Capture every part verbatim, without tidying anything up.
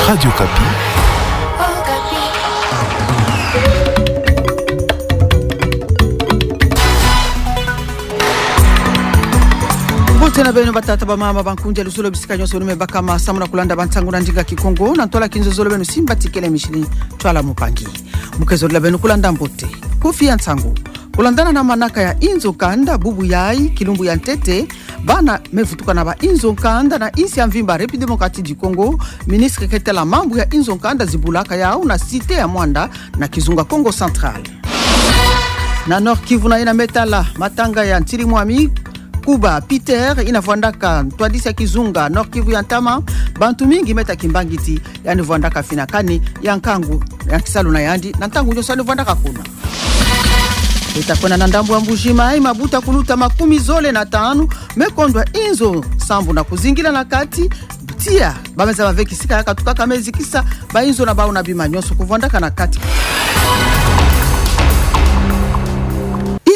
Radio Okapi. Mbote na beno batata, bamama, bankundi ya luzolo bisika nyonso nu me bakama samu na kulanda bansangu na ndinga Kikongo, na ntwala kinzozolo beno simba tikele mishili twala mupangi. Mu ke zolila beno kulanda mbote. Kifu ya nsangu. Kulandana na manaka ya inzo kanda bubu yayi, kilumbu ya ntete, bana me vutuka na ba inzo kanda na insi ya mvimba République Démocratique du Congo, ministre ke tala mambu ya inzo kanda zibulaka yawu na cité ya Muanda na kizunga Kongo Central. Na Nord-Kivu na yina me tala matanga ya ntiri mwami Kuba Peter, yina vwandaka ntwadisi ya kizunga Nord-Kivu ya ntama, bantu mingi me ta kimbangiti, yandi vwandaka fina kani ya nkangu ya kisalu na yandi, na ntangu nyonso yandi vwandaka kuna. Beta kwenda na ndambu ya Mbuji-Mayi, mabuta kuluta makumi zole na tanu me kondwa inzo sambu na kuzingila na kati, tiya ba me zaba ve kisika ya katukaka me zikisa ba inzo na bawu na bima nyonso kuvwandaka na kati.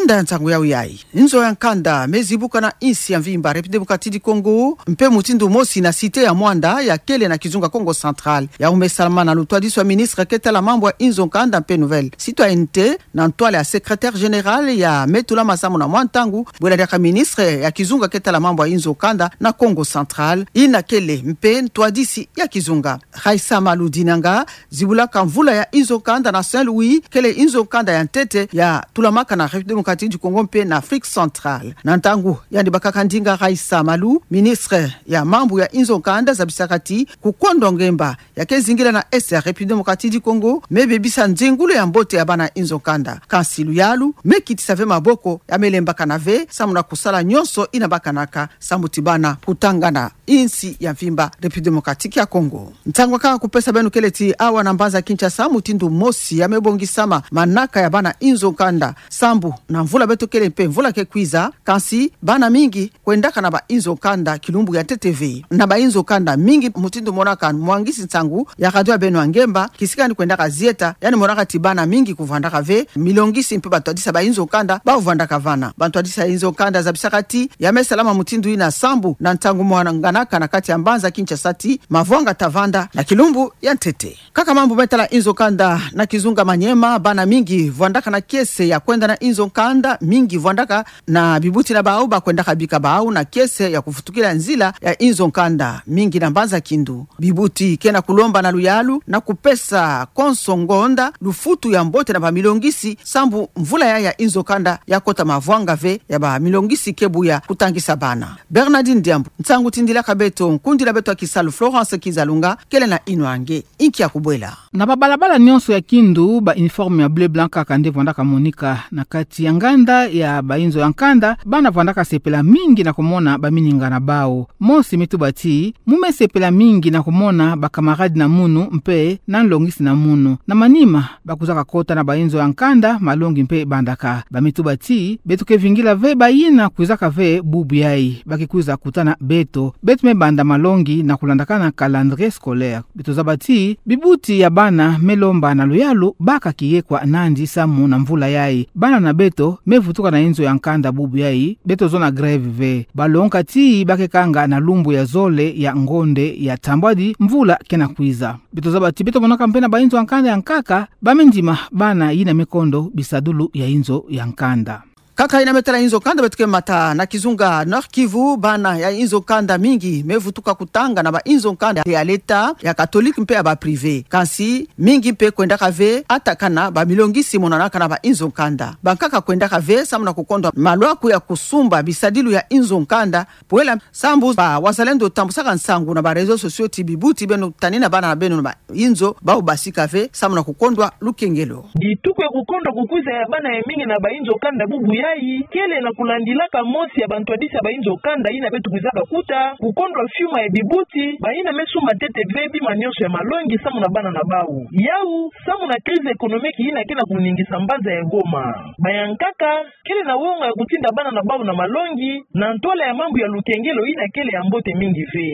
Inda ya nsangu yawu yayi. Inzo ya nkanda me zibuka na insi ya mvimba République Démocratique du Congo, mpe mutindu mosi na cité ya Muanda ya kele na kizunga Kongo Central. Yawu me salama na lutwadisi wa ministre ke tala mambu ya inzo nkanda mpe nouvelle citoyenneté, na ntwala ya secrétaire général ya me tulama samu na mwa ntangu bwela diaka ministre ya kizunga ke tala mambu ya inzo nkanda na Kongo Central, yina kele mpe ntwadisi ya kizunga. Raissa Malu Dinanga, zibulaka mvula ya inzo nkanda na Saint-Louis, kele inzo nkanda ya ntete ya tulamaka na République Démocratique du Congo mpe na Afrique Centrale. Na ntangu yandi bakaka ndinga, Raissa Malu, ministre ya mambu ya inzo nkanda, zabisaka ti kukondwa ngemba ya ke zingila na Est ya République Démocratique du Congo me bebisa nzengulu ya mbote ya bana inzo nkanda. Kansi luyalu me kitisa ve maboko ya me lembakana ve samu na kusala nyonso yina bakanaka samu ti bana kutangana insi ya mvimba République Démocratique ya Congo. Nsangu kaka kupesa beno kele ti awa na mbanza Kinshasa, mutindu mosi ya me bongisama manaka ya bana inzo nkanda sambu na mvula beto kele mpe mvula ke kwiza, kansi bana mingi kwendaka na ba inzo nkanda kilumbu ya ntete ve. Na ba inzo nkanda mingi, mutindu monaka mwangisi nsangu ya radio ya beno ya ngemba, kisika yandi kwendaka zieta, yandi monaka ti bana mingi kuvwandaka ve milongisi mpe bantwadisi ya ba inzo nkanda ba vwandaka vana. Bantwadisi ya inzo nkanda zabisaka ti ya me salama mutindu yina sambu na ntangu mwanganaka na kati ya mbanza Kinshasa ti mavwanga ta vanda na kilumbu ya ntete. Kaka mambu me tala inzo nkanda na kizunga Maniema, bana mingi vwandaka na kiese ya kwenda na inzo nkanda, mingi vwandaka na bibuti na bawu, ba kwendaka bika bawu na kiese ya kufutukila nzila ya inzo nkanda, mingi na mbanza Kindu. Bibuti ke na kulomba na luyalu na kupesa konso ngonda lufutu ya mbote na ba milongisi sambu mvula yayi ya inzo nkanda ya kota mavwanga ve, ya ba milongisi ke buya kutangisa bana. Bernardine Diambu, nsangu tindilaka beto, nkundi na beto ya kisalu Florence Kizalunga kele na yinwa nge. Inki ya kubwela? Na babalabala nyonso ya Kindu, ba uniforme ya bleu blanc kaka nde vwandaka monika. Na kati ya nganda ya ba inzo ya nkanda, bana vwandaka sepela mingi na kumona bamininga na bawu. Mosi me tuba ti, mu me sepela mingi na kumona ba camarade na munu mpe na nlongisi na munu. Na manima, ba kwizaka kota na ba inzo ya nkanda, malongi mpe bandaka. Ba me tuba ti, beto ke vingila ve bayina kwizaka ve bubu yayi, ba ke kwiza kutana beto. Beto me banda malongi na kulandakana calendrier scolaire. Beto zaba ti bibuti ya bana me lomba na luyalu baka kiyekwa nandi samu na mvula yayi. Bana na beto me vutuka na inzo ya nkanda bubu yayi, beto zona grève ve. Ba longoka ti ba ke kanga na lumbu ya zole ya ngonde ya ntambwadi mvula ke na kwiza. Beto zaba ti beto monaka mpe na ba inzo ya nkanda ya nkaka, ba me ndima bana yina me kondo bisadulu ya inzo ya nkanda. Kaka yina me tala inzo nkanda, beto ke mata na kizunga Nord-Kivu, bana ya inzo nkanda mingi me vutuka kutanga na ba inzo nkanda ya leta, ya catholique mpe ya ba privé. Kansi mingi mpe kwendaka ve atakana ba milongisi monanaka na ba inzo nkanda. Bankaka kwendaka ve samu na kukondwa malwaku ya kusumba bisadilu ya inzo nkanda, pwela sambu ba wazalendo tambusaka nsangu na ba réseaux sociaux ti bibuti beno tanina bana na beno na ba inzo, bawu basika ve samu na kukondwa lukengelo. Bituku ya kukondwa kukwiza ya bana ya mingi na ba inzo nkanda bubu yayi kele na kulandilaka mosi ya bantwadisi ya ba inzo nkanda yina beto kwizaka kuta, kukondwa fiuma ya bibuti, bayina me sumba ntete ve bima nyonso ya malongi samu na bana na bawu. Yawu samu na crise économique yina ke na kuningisa mbanza ya Goma. Ba ya nkaka kele na wonga ya kutinda bana na bawu na malongi, na ntwala ya mambu ya lukengelo yina kele ya mbote mingi ve.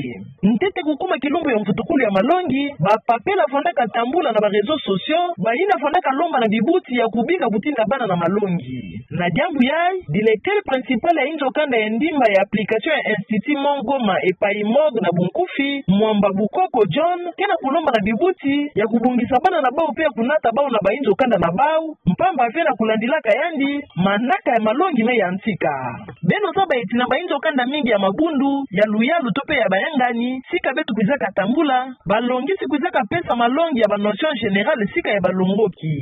Ntete kukuma kilumbu ya mvutukulu ya malongi, ba papela vwandaka tambula na ba réseaux sociaux, bayina vwandaka lomba na bibuti ya kubika kutinda bana na malongi. Na diambu Siku yayi, directeur principal ya inzo kanda ya ndimba ya application ya Institut Mont Goma epayi Morgue na bunkufi, Mwamba Bukoko John, ke na kulomba na bibuti ya kubongisa bana na bau mpe ya kunata bau na bainzo kanda na bau, mpamba mpe na kulandilaka yandi manaka ya malongi me yantika. Beno zaba ti na bainzo kanda mingi ya mabundu, ya luyalu to mpe ya bayangani, sika beto kwizaka tambula, balongisi kwizaka pesa malongi ya ba notions générales sika ya balongoki.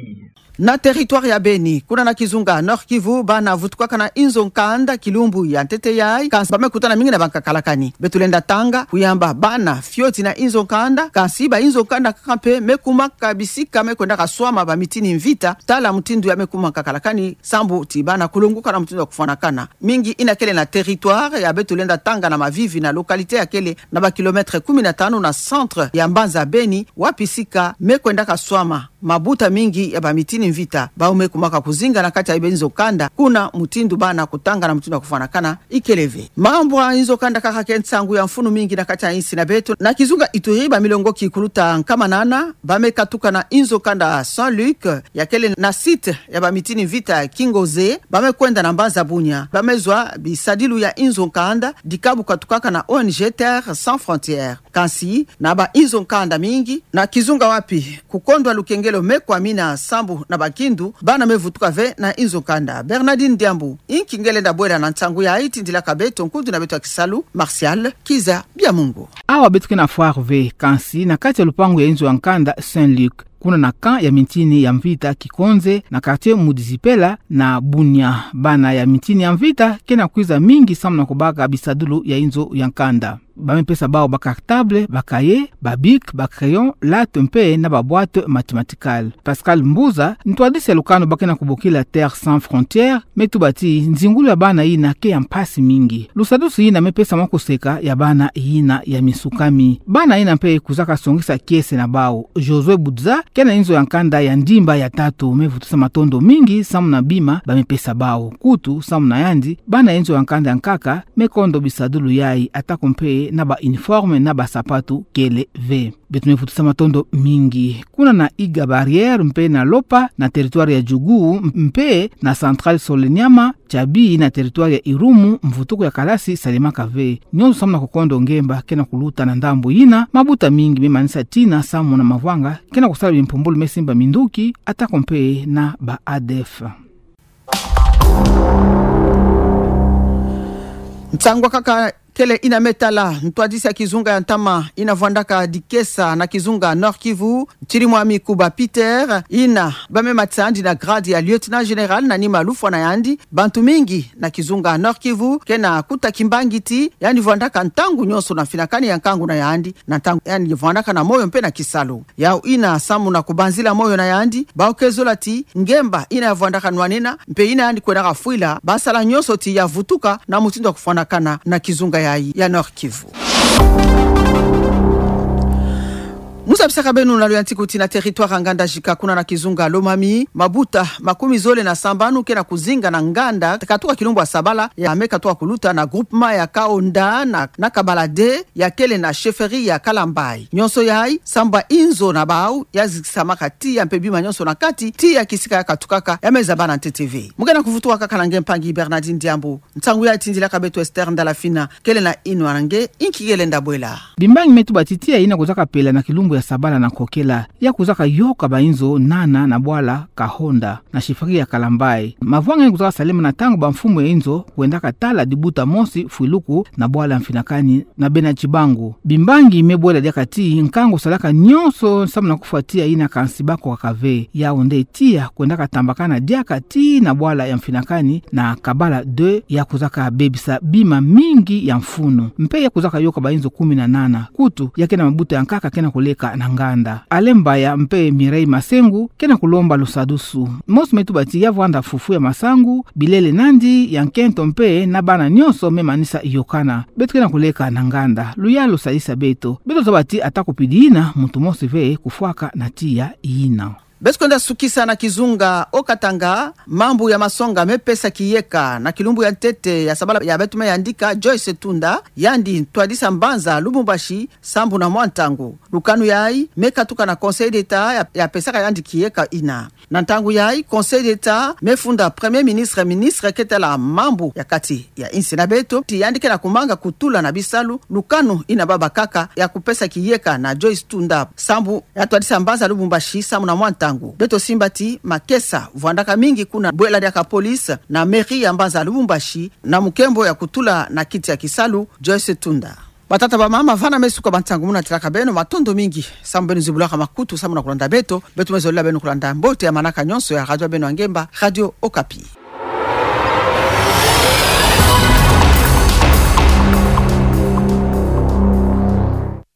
Na territoire ya Beni, kuna na kizunga Nord-Kivu, bana vutukaka na inzo nkanda kilumbu ya ntete yayi, kansi ba me kutana mingi na bankakalakani. Beto lenda tanga, kuyamba bana fioti na inzo nkanda, kansi bainzo nkanda kaka mpe me kumaka bisika me kwendaka swama ba mitini mvita, tala mutindu ya me kuma nkakalakani, sambu ti bana kulonguka na mutindu ya kufwanakana. Mingi ina kele na territoire ya beto lenda tanga na Mavivi na localité ya kele na ba kilomètre kumi na tanu na centre ya mbanza Beni, wapi sika me kwendaka swama mabuta mingi ya ba mitini mvita, bau me kumaka kuzinga na kati ya bainzo kanda, kuna mutindu bana kutanga na mutindu ya kufwanakana ikele ve. Mambu ya inzo kanda kaka ke nsangu ya mfunu mingi na kati ya insi na beto. Na kizunga Ituri, ba milongoki kuluta nkama nana ba me katuka na inzo kanda Saint-Luc, ya kele na site ya ba mitini mvita Kingoze, ba me kwenda na mbanza Bunia, ba me zwa bisadilu ya inzo nkanda, dika bu katukaka na O N G Terre Sans Frontières. Kansi, na bainzo nkanda mingi na kizunga wapi kukondwa lukengelo me kwamina sambu na bakindu, bana me vutuka ve na inzo nkanda. Bernardine Diambu, inki nge lenda bwela na nsangu yayi? Tindilaka beto nkundi na beto ya kisalu, Martial Kiza Biamungu. Awa beto ke na Foire ve, kansi na kati ya lupangu ya inzo ya nkanda Saint-Luc, kuna na camp ya mitini ya mvita Kikonze, na quartier Mudizipela na Bunia, bana ya mitini ya mvita ke na kwiza mingi samu na kubaka bisadulu ya inzo ya nkanda. Ba me pesa bau ba cartable, ba cahier, ba bic, ba crayon, latte mpe na ba boîte mathématicale. Pascal Mbuza, ntwadisi ya lukanu ba ke na kubokila Terre Sans Frontières, me tuba ti nzingulu ya bana yina ke ya mpasi mingi. Lusadusu yina me pesa mwa kuseka ya bana yina ya misukami. Bana yina mpe kwizaka songisa kiese na bau. Josué Budza, ke na inzo ya nkanda ya ndimba ya tatu, me vutusa matondo mingi samu na bima ba me pesa bau. Kutu, samu na yandi, bana ya inzo ya nkanda ya nkaka me kondo bisadulu yayi, atako mpe na ba uniforme na ba sapatu kele ve. Beto me vutusa matondo mingi. Kuna na Iga Barrière mpe na Lopa, na territoire ya Djougou, mpe na Centrale Soleniama, Tiabi, na territoire ya Irumu, mvutuku ya kalasi salemaka ve. Nyonso samu na kukondo ngemba ke na kuluta na ndambu yina, mabuta mingi me manisa tina samu na mavwanga ke na kusala bimpumbulu me simba minduki, atako mpe na ba A D F. Nsangu kaka kele yina me tala ntwadisi ya kizunga ya ntama yina vwandaka dikesa na kizunga Nord-Kivu, Chirimwami Kuba Peter, yina ba me matisa yandi na grade ya lieutenant général na nima lufwa na yandi, bantu mingi na kizunga Nord-Kivu ke na kuta kimbangi ti yandi vwandaka ntangu nyonso na mfinakani ya nkangu na yandi, na ntangu yandi vwandaka na moyo mpe na kisalu. Yau yina samu na kubanzila moyo na yandi, bau ke zola ti ngemba yina ya vwandaka nwanina, mpe yina yandi kwendaka fwila, ba sala nyonso ti ya vutuka na mutindu ya kufwanakana na kizunga yayi ya Nord-Kivu. Mu zabisaka beno na luyantiku ti na territoire ya Ngandajika, kuna na kizunga Lomami, mabuta makumi zole na sambanu ke na kuzinga na nganda katuka kilumbu ya sabala ya me katuka kuluta na groupement ya Kaonda na, na Kabala deux, ya kele na chefferie ya Kalambayi. Nyonso yayi samu ba inzo na bau ya zikisamaka tiya mpe bima nyonso na kati, tiya kisika ya katukaka ya me zaba na ntete ve. Mu ke na kuvutuka kaka na nge mpangi Bernardine Diambu. Nsangu yayi tindilaka beto Esther Ndalafina, kele na yinwa na nge, inki nge lenda bwela. Bimbangi me tuba ti tiya yina kwizaka pela na kilumbu ya sabala na nkokela, ya kwizaka yoka ba inzo nana na bwala Kahonda na chefferie ya Kalambayi. Mavwanga yina kwizaka salema na ntangu bamfumu ya inzo kwendaka tala dibuta mosi fwiluku na bwala ya mfinakani na bena Chibangu. Bimbangi me bwela diaka ti nkangu salaka nyonso samu na kufwa tiya yina, kansi bakokaka ve. Yau nde tiya kwendaka tambakana diaka tii na bwala ya mfinakani na Kabala deux, ya kwizaka bebisa bima mingi ya mfunu. Mpe ya kwizaka yoka ba inzo kumi na nana. Kutu, ya ke na mabuta ya nkaka ke na kuleka na nganda. Alain Mbaya mpe Mireille Masengu ke na kulomba lusadusu. Mosi me tuba ti ya vwanda fufu ya masangu, bilele nandi ya nkento mpe na bana nyonso me manisa yokana. Beto ke na kuleka na nganda. Luyalu sadisa beto. Beto zaba ti ata kupidi yina, muntu mosi ve kufwaka na tiya yina. Beto kwenda sukisa na kizunga Haut-Katanga. Mambu ya masonga mepesa kiyeka na kilumbu ya ntete ya sabala ya beto me yandika Joyce Tunda, yandi ntwadisa mbanza Lubumbashi, sambu na mwa ntangu. Lukanu yayi mekatuka na Conseil d'État ya, ya pesaka yandi kiyeka ina. Na ntangu yayi, Conseil d'État mefunda Premier Ministre, ministre ketela mambu ya kati ya insi na beto, ti yandi ke na kumanga kutula na bisalu lukanu ina babakaka ya kupesa kiyeka na Joyce Tunda, sambu ya twadisa mbanza Lubumbashi, sambu na mwa ntangu. Beto simba ti makesa vwandaka mingi kuna bwela diaka police na mairie ya mbanza Lubumbashi, na mukembo ya kutula na kiti ya kisalu Joyce Tunda. Batata, bamama, vana me suka ba nsangu muna tilaka beno, matondo mingi sambu beno zibulaka makutu sambu na kulanda beto. Beto me zolila beno kulanda mbote ya manaka nyonso ya radio ya beno ya ngemba, Radio Okapi.